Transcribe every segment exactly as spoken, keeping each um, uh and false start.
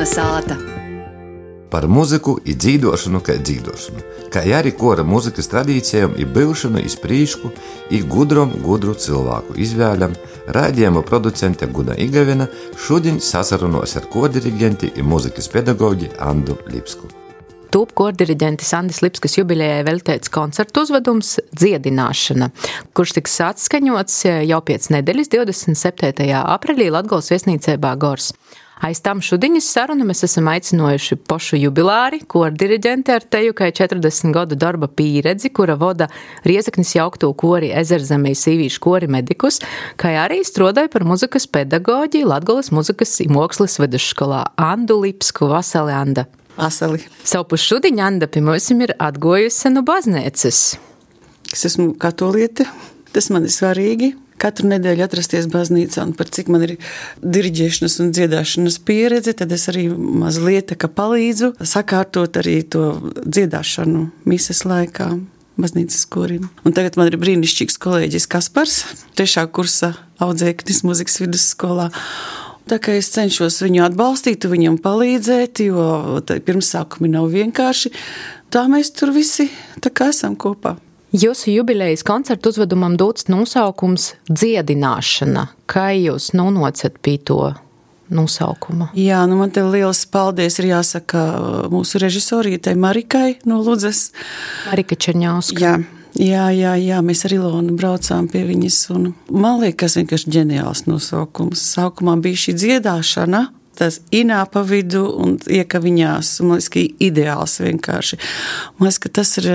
Melna sāta. Par muziku i dzīdošanu kai dzīdošanu, kā arī kora muzikas tradīcijām i byvšanu iz prīšku i gudrom gudru cilvēku izvēļam, raidījuma producente Guna Igavina šodien sasarunos ar kordiriģenti i muzikas pedagoģi Andu Lipsku. Tūp kordiriģentis Andis Lipskas jubilejai veltēts koncertu uzvedums Dziedināšana, kurš tiks atskaņots jau pēc nedēļas divdesmit septītajā aprīlī Latgolas viesnīcībā Gors. Aiz tam šudiņas sarunu mēs esam aicinojuši pošu jubilāri, kordiriģenti ar teju kai četrdesmit gadu darba pīredzi, kura voda Riezeknis jaukto kori Ezerzemē sīvīšu kori medikus, kai arī strodoja par muzikas pedagoģi Latgolas muzikas i mokslas vidusskolā Andu Lipsku. Vasali, Anda! Vasali! Savu puš šudiņa Anda pie mums ir atgojusi no baznīcas. Es esmu katoliete, tas man ir svarīgi. Katru nedēļu atrasties baznīcā, un par cik man ir diriģēšanas un dziedāšanas pieredze, tad es arī mazliet kā palīdzu sakārtot arī to dziedāšanu mises laikā baznīcas korim. Un tagad man ir brīnišķīgs kolēģis Kaspars, trešā kursa audzēknis muzikas vidusskolā. Tā kā es cenšos viņu atbalstīt, viņam palīdzēt, jo pirmsākumi nav vienkārši. Tā mēs tur visi tā kā esam kopā. Jūsu jubilejas koncertu uzvedumam dots nosaukums Dziedināšana. Kā jūs nonācat pie to nosaukuma? Jā, nu man te liels paldies ir jāsaka mūsu režisorītei Marikai no Ludzas. Marika Čerņauska. Jā. Jā, jā, jā, mēs ar Ilonu braucām pie viņas, un man liekas vienkārši ģeniāls nosaukums. Sākumā bija šī dziedāšana, tas inā pa vidu un ieka viņās, man liekas, ka ideāls vienkārši. Man liekas, ka tas ir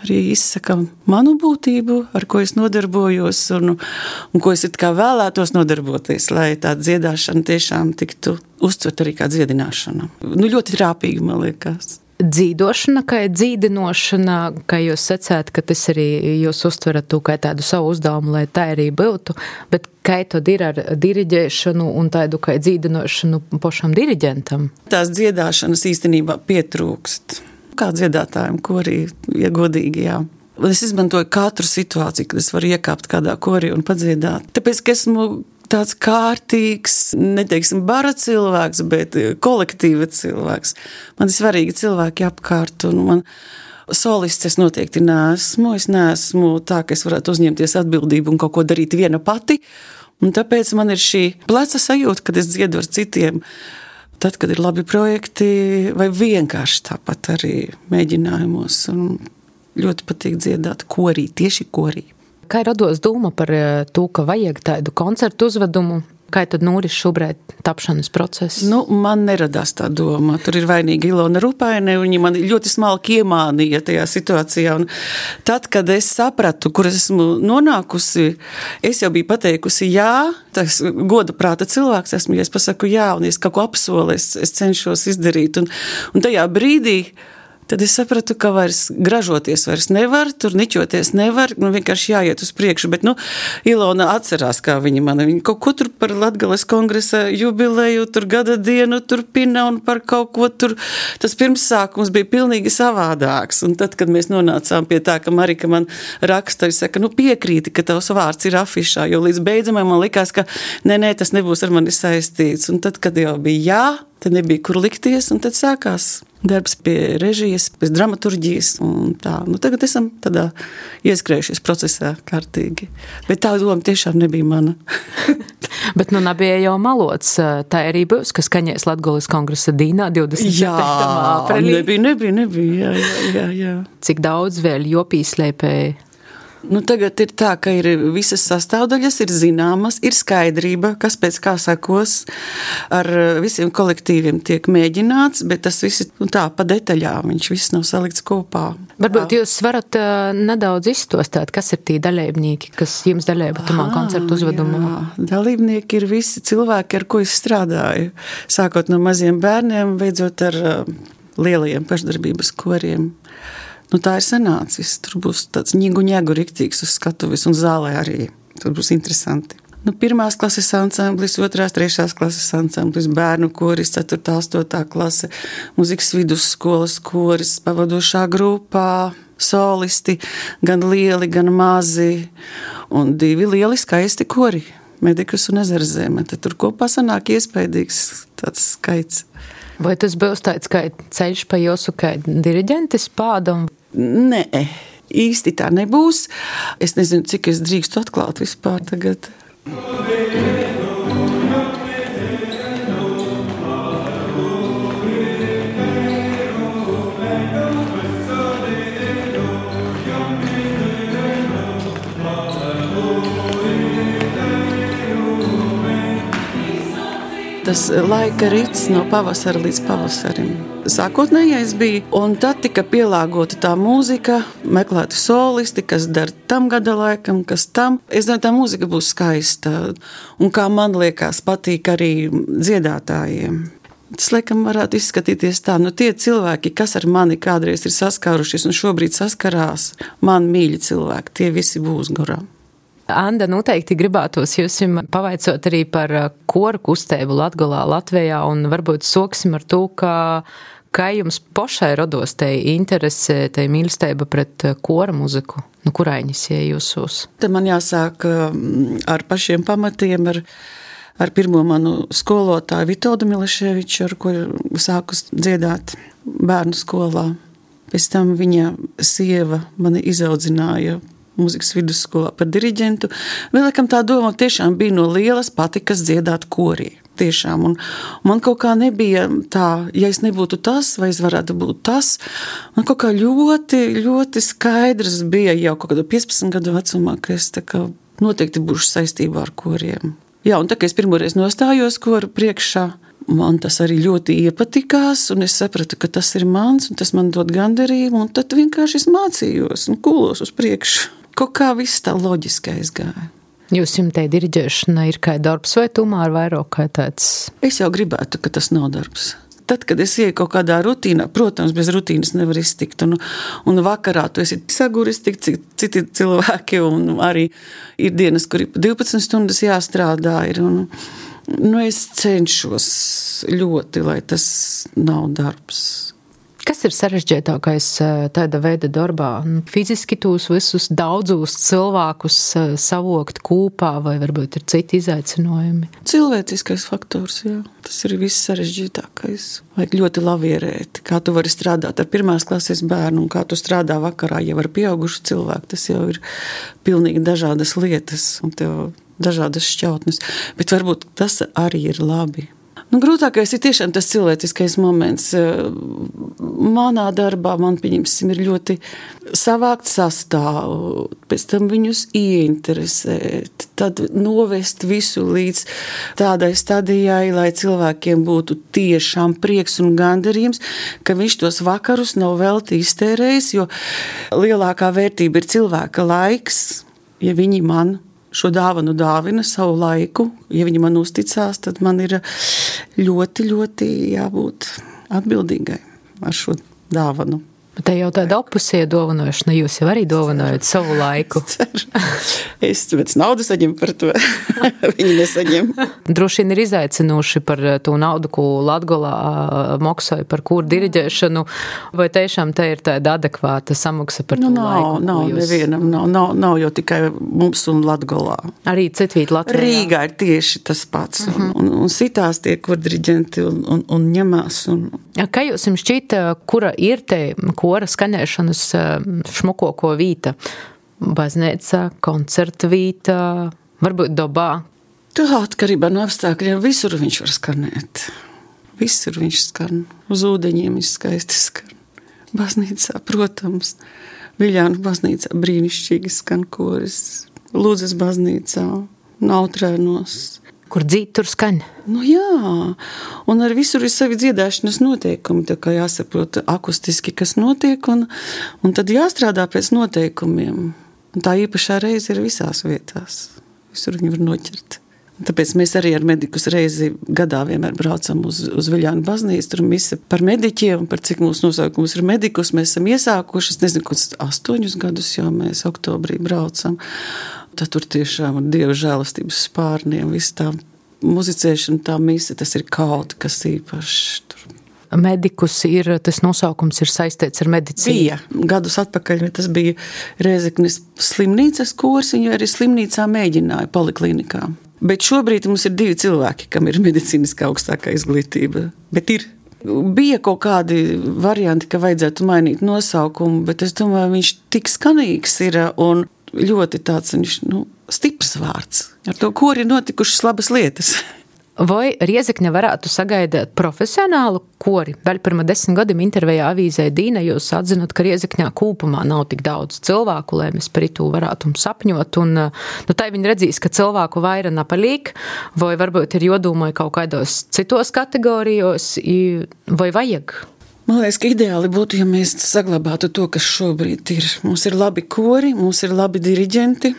arī izsaka manu būtību, ar ko es nodarbojos un, un ko es it kā vēlētos nodarboties, lai tā dziedāšana tiešām tiktu uztvert arī kā dziedināšana. Nu, ļoti trāpīgi, man liekas. Dzīdošana, kā dzīdinošana, kā jūs sacāt, ka tas arī jūs uztverat to kā tādu savu uzdevumu, lai tā arī būtu, bet kā tad ir ar diriģēšanu un tādu kā dzīdinošanu pašam diriģentam? Tās dziedāšanas īstenībā pietrūkst. Kā dziedātājiem korī, ja godīgi, jā. Es izmantoju katru situāciju, kad es varu iekāpt kādā korī un padziedāt. Tāpēc, ka esmu tāds kārtīgs, neteiksim bara cilvēks, bet kolektīva cilvēks. Man ir svarīgi cilvēki apkārt, un man solists es noteikti neesmu. Es neesmu tā, ka es varētu uzņemties atbildību un kaut ko darīt viena pati. Un tāpēc man ir šī pleca sajūta, kad es dziedu ar citiem. Tad, kad ir labi projekti, vai vienkārši tāpat arī mēģinājumos. Un ļoti patīk dziedāt korī, tieši korī. Kā rados doma par to, ka vajag tādu koncertu uzvedumu? Kā tad noris šobrīd tapšanas process? Nu, man neradās tā doma. Tur ir vainīga Ilona Rupaine, un viņa man ļoti smalki iemānīja tajā situācijā. Un tad, kad es sapratu, kur esmu nonākusi, es jau biju pateikusi jā, tas goda prāta cilvēks esmu, ja es pasaku jā, un ja es kaut ko apsolu, es, es cenšos izdarīt. Un, un tajā brīdī tad es sapratu, ka vairs gražoties vairs nevar, tur niķoties nevar, nu vienkārši jāiet uz priekšu, bet, nu, Ilona atcerās, kā viņa man, viņa kaut ko tur par Latgales kongresa jubileju, tur gada dienu, tur pina un par kaut ko tur, tas pirmsākums bija pilnīgi savādāks, un tad, kad mēs nonācām pie tā, ka Marika man raksta, viņa saka, nu piekrīti, ka tavs vārds ir afišā, jo līdz beidzamai man likās, ka nē, nē, tas nebūs ar mani saistīts, un tad, kad jau bija jā, tad nebija kur likties, un tad sākās darbs pie režijas, pēc dramaturģijas, un tā. Nu, tagad esam tādā ieskrējušies procesā kārtīgi. Bet tā doma tiešām nebija mana. Bet nu nebija jau malots. Tā arī būs, kas skaņēs Latgolas kongresa dīnā divdesmit septītajā aprīlī. Jā, nebija, nebija, nebija, jā, jā, jā, jā. Cik daudz vēl jopīslēpēja? Nu, tagad ir tā, ka ir visas sastāvdaļas, ir zināmas, ir skaidrība, kas pēc kā sakos, ar visiem kolektīviem tiek mēģināts, bet tas viss nu, tā pa detaļām, viņš viss nav salikts kopā. Varbūt jūs varat uh, nedaudz izstostāt, kas ir tie dalībnieki, kas jums dalība tamā koncertu uzvedumā? Jā, dalībnieki ir visi cilvēki, ar ko es strādāju, sākot no maziem bērniem, beidzot ar uh, lielajiem pašdarbības koriem. Nu, tā ir sanācis. Tur būs tāds ņigu-ņegu riktīgs uz skatuves un zālē arī. Tur būs interesanti. Nu, pirmās klases ansamblis, otrās, trešās klases ansamblis, bērnu koris, ceturtā, astotā klase, muzikas vidusskolas koris, pavadošā grupā, solisti, gan lieli, gan mazi, un divi lieli skaisti kori. Medikus un Ezerzeme. Tad tur kopā sanāk iespējīgs tāds skaits. Vai tas būs tāds kā ceļš pa jūsu kā diriģentes pādam? Nē, īsti tā nebūs. Es nezinu, cik es drīkstu atklāt vispār tagad. Tas laika rits no pavasara līdz pavasarim. Sākotnējais bija, un tad tika pielāgota tā mūzika, meklēti solisti, kas dara tam gada laikam, kas tam. Es domāju, tā mūzika būs skaista, un kā man liekas, patīk arī dziedātājiem. Tas, laikam, varētu izskatīties tā, nu tie cilvēki, kas ar mani kādreiz ir saskārušies un šobrīd saskarās, man mīļi cilvēki, tie visi būs gorā. Anda, noteikti gribētos jūs pavaicot arī par koru kustību Latgolā, Latvijā, un varbūt soksim ar to, ka, kā jums pašai rados te interese, te mīlestība pret kora muziku, nu kuraiņas ie jūsos? Te man jāsāk ar pašiem pamatiem, ar, ar pirmo manu skolotāju Vitoldu Mileševiču, ar ko sāku dziedāt bērnu skolā. Pēc tam viņa sieva mani izaudzināja mūzikas vidusskolā par diriģentu. Vēlēkam tā doma tiešām bija no lielas patikas dziedāt korī. Tiešām. Un man kaut kā nebija tā, ja es nebūtu tas, vai es varētu būt tas. Man kaut kā ļoti, ļoti skaidrs bija jau kaut kādu piecpadsmit gadu vecumā, ka es tā kā noteikti būšu saistībā ar koriem. Jā, un tā kā es pirmoreiz nostājos koru priekšā, man tas arī ļoti iepatikās, un es sapratu, ka tas ir mans, un tas man dod gandarījumu, un tad vienkārši es mācījos un kūlos uz priekšu. Kaut kā viss tā loģiski aizgāja. Jūs jums te diriģēšana ir kā darbs vai tomēr vairāk kā tāds? Es jau gribētu, ka tas nav darbs. Tad, kad es ieju kaut kādā rutīnā, protams, bez rutīnas nevar iztikt, un, un vakarā tu esi saguris tik, cik citi cilvēki, un arī ir dienas, kur ir divpadsmit stundas jāstrādā, ir, un, nu, es cenšos ļoti, lai tas nav darbs. Kas ir sarežģītākais tāda veida darbā? Fiziski tos visus daudzus cilvēkus savokt kūpā, vai varbūt ir citi izaicinājumi? Cilvēciskais faktors, jā. Tas ir viss sarežģītākais. Vajag ļoti lavierēt, kā tu vari strādāt ar pirmās klases bērnu, un kā tu strādā vakarā jau ar pieaugušu cilvēku. Tas jau ir pilnīgi dažādas lietas, un tev dažādas šķautnes. Bet varbūt tas arī ir labi. Nu, grūtākais ir tiešām tas cilvēciskais moments. Manā darbā man, pieņemsim, ir ļoti savākt sastāvu, pēc tam viņus ieinteresēt, tad novest visu līdz tādai stadijai, lai cilvēkiem būtu tiešām prieks un gandarījums, ka viņš tos vakarus nav velti iztērējis, jo lielākā vērtība ir cilvēka laiks, ja viņi man šo dāvanu dāvina savu laiku. Ja viņi man uzticās, tad man ir ļoti, ļoti jābūt atbildīgai ar šo dāvanu. Bet te jau tāda opusija dovanošana, jūs jau arī dovanojat savu laiku. Es pēc naudu saņemu par to, viņi nesaņem. Droši vien ir izaicinoši par to naudu, ko Latgolā maksāja par kūru diriģēšanu, vai tiešām te ir tāda adekvāta samaksa par nu, to nav, laiku? Nav, jūs... nevienam, nav, nav, nav jau tikai mums un Latgolā. Arī citvīt Latvijā? Rīgā ir tieši tas pats, un, uh-huh. un, un sitās tie kurdiriģenti un, un, un ņemās. Un... Kā jūs jums šķita, kura ir te kora skaņēšanas šmukoko vīta? Baznīca, koncerta vīta, varbūt dobā? Tā atkarībā no apstākļiem visur viņš var skanēt. Visur viņš skan. Uz ūdeņiem viņš skaisti skan. Baznīcā, protams. Viļānu baznīcā brīnišķīgi skan koris. Lūdzes baznīcā, Nautrēnos. Kur dzīt, tur skaņ. Nu jā, un ar visur ir savi dziedāšanas noteikumi, tā kā jāsaprot akustiski, kas notiek, un, un tad jāstrādā pēc noteikumiem. Un tā īpašā reize ir visās vietās. Visur viņi var noķert. Un tāpēc mēs arī ar medikus reizi gadā vienmēr braucam uz, uz Viļānu baznīcu, tur mise par mediķiem, par cik mūsu nosaukums ir medikus. Mēs esam iesākuši, es nezinu, kāds astoņus gadus jau mēs oktobrī braucam. Tad tur tiešām ar Dieva žēlastības spārniem, viss tā muzicēšana, tā mise, tas ir kaut kas īpašs tur. Medikus ir, tas nosaukums ir saistīts ar medicīnu. Bija. Gadus atpakaļ, tas bija Rēzeknes slimnīcas kurs, viņu arī slimnīcā mēģināja poliklinikā. Bet šobrīd mums ir divi cilvēki, kam ir medicīniskā augstākā izglītība. Bet ir. Bija kaut kādi varianti, ka vajadzētu mainīt nosaukumu, bet es domāju, viņš tik skanīgs ir un ļoti tāds, viņš, nu, stiprs vārds. Ar to kori notikušas labas lietas. Vai Riezekne varētu sagaidīt profesionālu kori? Vēl pirma desmit gadiem intervijā avīzē Dīna jūs atzinot, ka Riezekņā kūpumā nav tik daudz cilvēku, lai mēs par itu varētu sapņot, un nu, tai viņi redzīs, ka cilvēku vaira napalīk, vai varbūt ir jodomāja kaut kādos citos kategorijos, vai vajag? Man liekas, ka ideāli būtu, ja mēs saglabātu to, kas šobrīd ir. Mums ir labi kori, mums ir labi diriģenti,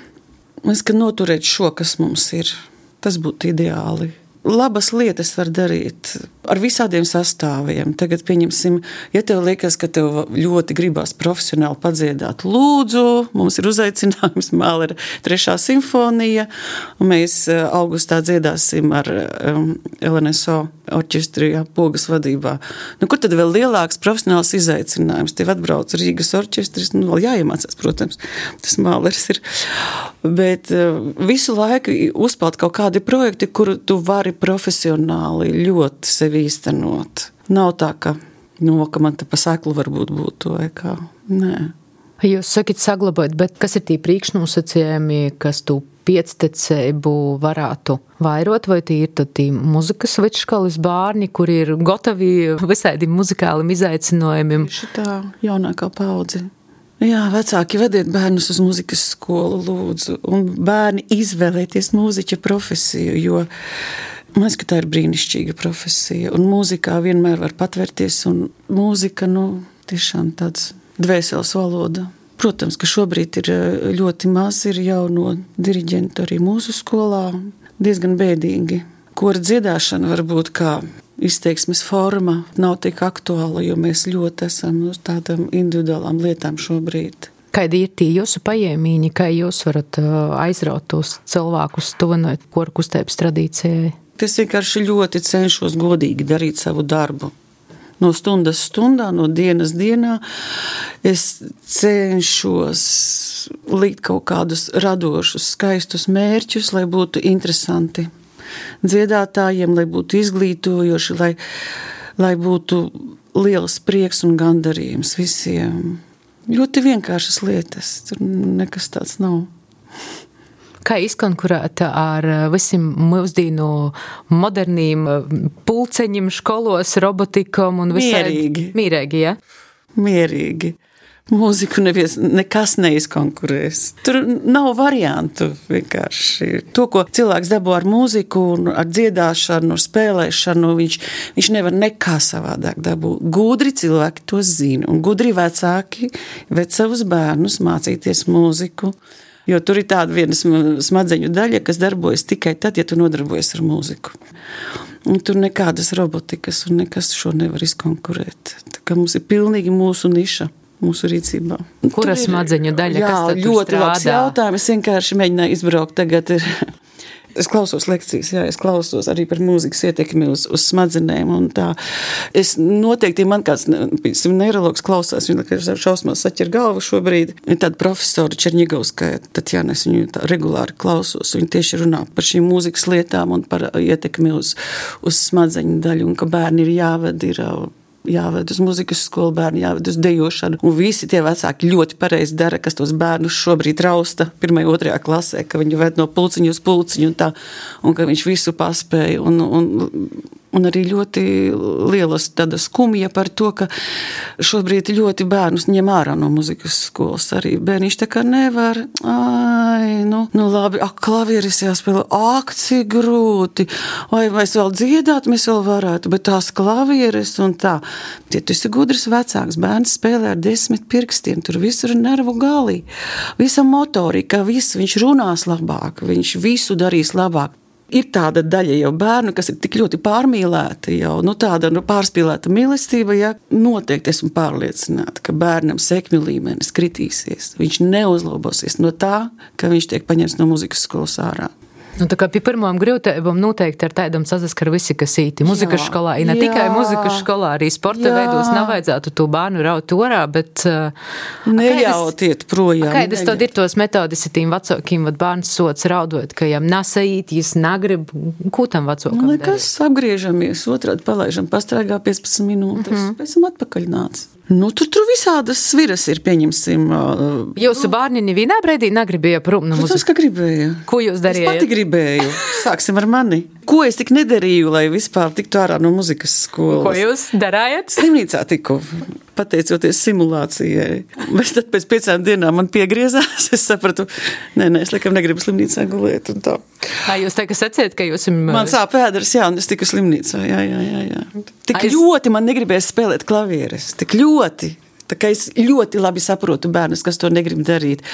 mēs, ka noturēt šo, kas mums ir, tas būtu ideāli. Labas lietas var darīt ar visādiem sastāviem. Tagad, pieņemsim, ja tev liekas, ka tev ļoti gribās profesionāli padziedāt, lūdzu, mums ir uzaicinājums Mālera trešā simfonija, un mēs augustā dziedāsim ar um, L N S O orķestri, jā, Pogas vadībā. Nu, kur tad vēl lielāks profesionāls izaicinājums? Tev atbrauc Rīgas orķestris, nu, vēl jāiemācās, protams, tas Mālers ir. Bet uh, visu laiku uzpeld kaut kādi projekti, kuru tu vari profesionāli ļoti sevi īstenot. Nav tā, ka, nu, ka man te pa seklu varbūt būtu, vai kā. Nē. Jūs sakat saglabāt, bet kas ir tī priekšnosacījumi, kas tu piectecību varētu vairot, vai tī ir tad tī muzikas vidškolas bārni, kuri ir gotavi visādiem muzikālim izaicinājumiem? Šitā jaunākā paudze. Jā, vecāki vediet bērnus uz muzikas skolu, lūdzu, un bērni izvēlēties mūziķa profesiju, jo man liekas, ka tā ir brīnišķīga profesija, un mūzikā vienmēr var patvērties, un mūzika, nu, tiešām tāds dvēseles valoda. Protams, ka šobrīd ir ļoti maz ir jauno diriģentu arī mūsu skolā, diezgan bēdīgi. Kora dziedāšana varbūt kā izteiksmes forma nav tik aktuāla, jo mēs ļoti esam uz tādām individuālām lietām šobrīd. Kādi ir tī jūsu pajēmīņi, kā jūs varat aizraut tos cilvēkus tuvinot kora kustības tradīcijai? Es vienkārši ļoti cenšos godīgi darīt savu darbu. No stundas stundā, no dienas dienā es cenšos likt kaut kādus radošus, skaistus mērķus, lai būtu interesanti dziedātājiem, lai būtu izglītojoši, lai, lai būtu liels prieks un gandarījums visiem. Ļoti vienkāršas lietas, tur nekas tāds nav. Kā izkonkurēt ar visiem mūsdīnu modernīm pulceņiem, školos, robotikam un visādi? Mierīgi. Mierīgi, ja? Mierīgi. Mūziku nevies, nekas neizkonkurēs. Tur nav variantu vienkārši. To, ko cilvēks dabū ar mūziku, ar dziedāšanu, ar spēlēšanu, viņš, viņš nevar nekā savādāk dabūt. Gudri cilvēki to zina, un gudri vecāki ved savus bērnus mācīties mūziku. Jo tur ir tāda viena smadzeņu daļa, kas darbojas tikai tad, ja tu nodarbojas ar mūziku. Un tur nekādas robotikas un nekas šo nevar izkonkurēt. Tā kā mums ir pilnīgi mūsu niša, mūsu rīcībā. Kura smadzeņu daļa, jā, kas tad tur strādā? Jā, ļoti labs jautājums. Es vienkārši mēģināju izbraukt tagad. Es klausos lekcijas, jā, es klausos arī par mūzikas ietekmi uz, uz smadzenēm un tā. Es noteikti, man kāds neirologs klausās, viņa šausmās saķer galvu šobrīd. Ir tāda profesora Čerņigovskaja, Tatjana, es viņu tā regulāri klausos. Viņa tieši runā par šīm mūzikas lietām un par ietekmi uz, uz smadzeņu daļu un ka bērni ir jāved, ir jāved uz muzikas skolu, bērni jāved uz dejošanu. Un visi tie vecāki ļoti pareizi dara, kas tos bērnus šobrīd rausta pirmajā, otrajā klasē, ka viņu ved no pulciņu uz pulciņu un tā, un ka viņš visu paspēja. Un, un, un arī ļoti lielas tāda skumja par to, ka šobrīd ļoti bērnus ņem ārā no muzikas skolas arī. Bērniņš tā kā nevar, ai, nu, nu labi, ak, klavieris jāspēlē, ak, cik grūti, vai mēs vēl dziedāt, mēs vēl varētu, bet tās klavieris un tā. Ja tu esi gudrs vecāks, bērns spēlē ar desmit pirkstiem, tur visur ir nervu galī, visa motorika, viss, viņš runās labāk, viņš visu darīs labāk. Ir tāda daļa jau bērnu, kas ir tik ļoti pārmīlēta jau, nu tāda nu, pārspīlēta mīlestība, ja noteikti esmu pārliecināta, ka bērnam sekmju līmenis kritīsies. Viņš neuzlabosies no tā, ka viņš tiek paņemts no muzikas skolas ārā. Nu, tā kā pie pirmām grūtībām noteikti ar tādam sasaskar visi, kas īti muzikas jā, skolā. I ne jā, tikai muzikas skolā, arī sporta jā. Veidos nav vajadzētu to bērnu raut orā, bet... Nejautiet projām. Kādas tad ir tos metodis ar tīm vecākiem, vad bērns sots raudot, ka jām nasait, jis negrib, ko tam vecākam darīt? Nekas, apgriežamies, otrādi palaižam, pastrāgā piecpadsmit minūtes, mm-hmm. pēc tam atpakaļ nāc. Nu, tur, tur visādas sviras ir, pieņemsim. Uh, Jūsu bērni nevienā breidī negribēja prom no muzikas? Tas, ka gribēja. Ko jūs darījāt? Es pati gribēju. Sāksim ar mani. Ko es tik nedarīju, lai vispār tiktu ārā no muzikas skolas? Ko jūs darājat? Slimnīcā tiku, pateicoties simulācijai. Bet tad pēc piecām dienām man piegriezās. Es sapratu, nē, nē, es laikam negribu slimnīcā gulēt un tā. Ā, jūs tā, ka sacījat, ka jūs... Man sāp pēdars, jā, un es tiku slimnīcā, jā, jā, jā, jā. Tik Aiz... ļoti man negribēja spēlēt klavieres, tik ļoti. Tā kā es ļoti labi saprotu bērnus, kas to negrib darīt.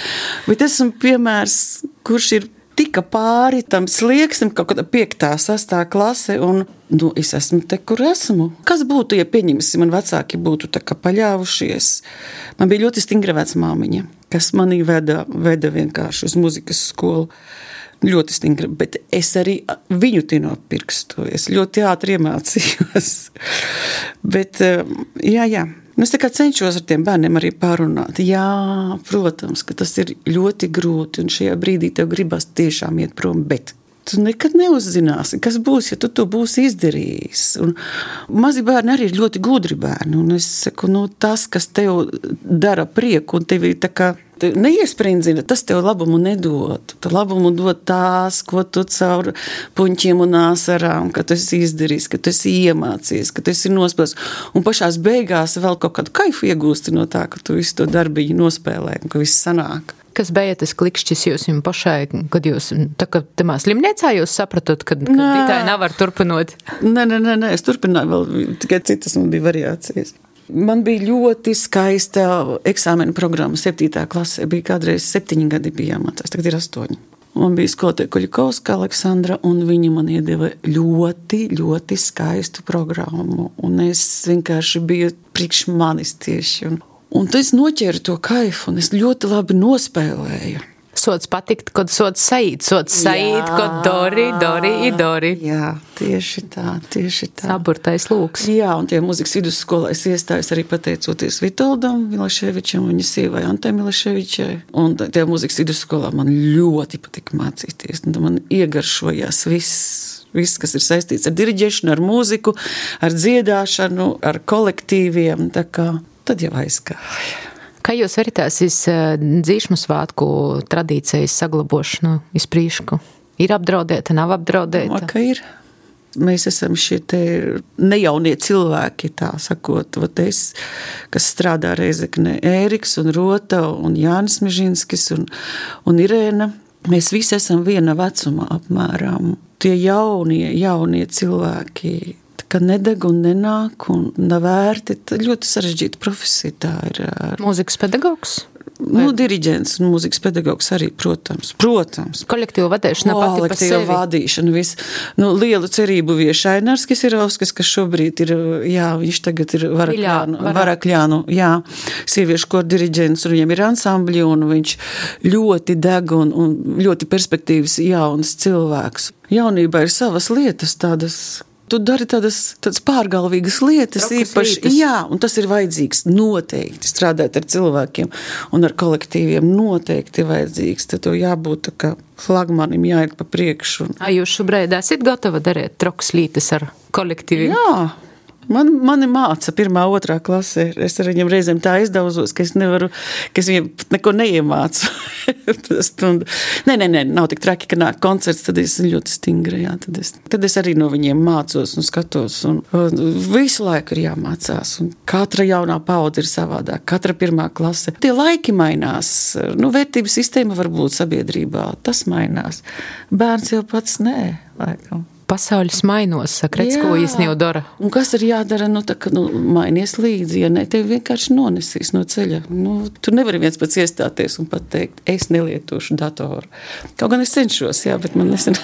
Bet esmu piemērs, kurš ir tika pāri tam slieksnim, kaut kādā piektā, sastā klase, un, nu, es esmu te, kur esmu. Kas būtu, ja pieņemsim, man vecāki būtu tā kā paļāvušies? Man bija ļoti stingra vecmāmiņa, kas manī veda, veda vienkārši uz muzikas skolu. Ļoti stingra, bet es arī viņu tino pirkstu. Es ļoti ātri iemācījos. Bet, jā, jā. Es tā kā cenšos ar tiem bērniem arī pārunāt. Jā, protams, ka tas ir ļoti grūti, un šajā brīdī tev gribas tiešām iet prom, bet tu nekad neuzzināsi, kas būs, ja tu to būsi izdarījis. Un mazi bērni arī ir ļoti gudri bērni, un es saku, nu, tas, kas tev dara prieku, un tev ir tā kā neiesprindzina, tas tev labumu nedod. Tu labumu dod tās, ko tu caur puņķiem un āsarām, ka tu esi izdarījis, ka tu esi iemācies, ka tu esi nospēlējis. Un pašās beigās vēl kaut kādu kaifu iegūsti no tā, ka tu visu to darbiņu nospēlē, un ka viss sanāk. Kas bija tas klikšķis jūs jums pašai, kad jūs, tā kā tamā slimniecā jūs sapratot, kad, kad tā nevar turpinot? Nē, nē, nē, nē, es turpināju vēl, tikai citas man bija variācijas. Man bija ļoti skaista eksāmena programma septītā klasē, bija kādreiz septiņi gadi bija jāmācās, tagad ir astoņi. Man bija skolotāja Kuļikovska Aleksandra, un viņa man iedeva ļoti, ļoti skaistu programmu, un es vienkārši biju priekš manis tieši, un Un tad es noķēru to kaifu, un es ļoti labi nospēlēju. Sots patikt, kod sots saīt, sots saīt, kod dori, dori, i dori. Jā, tieši tā, tieši tā. Saburtais lūks. Jā, un tie muzikas vidusskolā es iestājos arī pateicoties Vitoldam Milaševičam, viņa sievai Antai Milaševičai. Un tie muzikas vidusskolā man ļoti patika mācīties, un man iegaršojās viss. Viss, kas ir saistīts ar diriģēšanu, ar mūziku, ar dziedāšanu, ar kolektīviem, tā kā tad jau aizgāja. Kā jūs veritās iz dzīšmu svātku tradīcijas saglabošanu iz prīšku? Ir apdraudēta, nav apdraudēta? Ka ir. Mēs esam šie te nejaunie cilvēki, tā sakot, vat es, kas strādā Reizeknē, Ēriks un Rota un Jānis Mežinskis un, un Irēna. Mēs visi esam viena vecuma apmērām. Tie jaunie, jaunie cilvēki, ka nedeg un nenāk un nav vērti, tad ļoti sarežģīta profesija tā ir. Mūzikas pedagogs? Nu, diriģents un mūzikas pedagogs arī, protams, protams. Kolektīva vadīšana pati pa sevi. Kolektīva vadīšana, viss. Nu, lielu cerību vieš Ainars Kisirovskis, kas šobrīd ir, jā, viņš tagad ir Varakļānu, Varakļānu, jā, sieviešu kor diriģents, un viņam ir ansambļi, un viņš ļoti deg un, un ļoti perspektīvas jauns cilvēks. Jaunībā ir savas lietas tādas, tu dari tādas, tādas pārgalvīgas lietas, Rokas īpaši, lītas. Jā, un tas ir vajadzīgs noteikti, strādāt ar cilvēkiem un ar kolektīviem noteikti vajadzīgs, tad to jābūt tā kā flagmanim jāiet pa priekšu. A jūs šobrīd esat gatava darīt trokas lītas ar kolektīviem? Jā. Man, mani māca pirmā, otrā klasē. Es ar viņiem reizēm tā izdauzos, ka es nevaru, ka es viņiem neko neiemācu. nē, nē, nē, nav tik traki, ka nāk koncerts, tad es ļoti stingri, jā, tad es, tad es arī no viņiem mācos un skatos. Un, un visu laiku ir jāmācās, un katra jaunā paudze ir savādāk, katra pirmā klase. Tie laiki mainās, nu, vērtības sistēma varbūt sabiedrībā, tas mainās. Bērns jau pats nē, laikam. Pasauļs mainos, saka, redz, ko īstenībā dara. Un kas ir jādara, nu, tā, ka, nu, mainies līdzi, ja ne, tevi vienkārši nonesīs no ceļa. Nu, tu nevari viens pats iestāties un pateikt, es nelietošu datoru. Kaut gan es cenšos, jā, bet man nesen...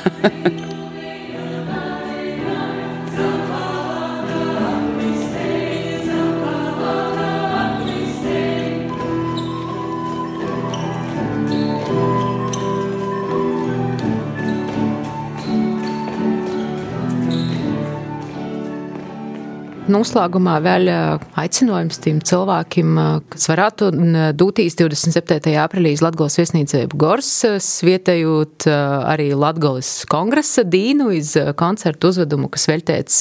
noslēgumā vēl aicinājums tiem cilvēkiem, kas varētu dūtīs divdesmit septītajā aprīlī Latgolas viesnīcību Gors, svietējot arī Latgolas kongresa dīnu iz koncertu uzvedumu, kas veltēts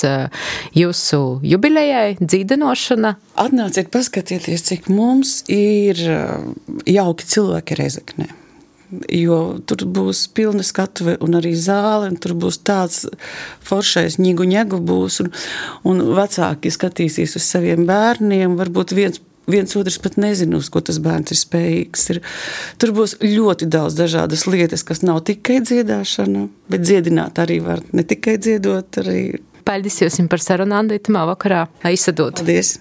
jūsu jubilejai, dzīdinošana. Atnāciet paskatieties, cik mums ir jauki cilvēki Rezeknē. Jo tur būs pilna skatuve un arī zāle, un tur būs tāds foršais ņigu ņegu būs, un, un vecāki skatīsies uz saviem bērniem, varbūt viens, viens otrs pat nezina, uz ko tas bērns ir spējīgs. Ir, tur būs ļoti daudz dažādas lietas, kas nav tikai dziedāšana, bet dziedināt arī var, ne tikai dziedot, arī. Paldies jums par sarunu, Anda, itamā vakarā. Aizsadot. Paldies.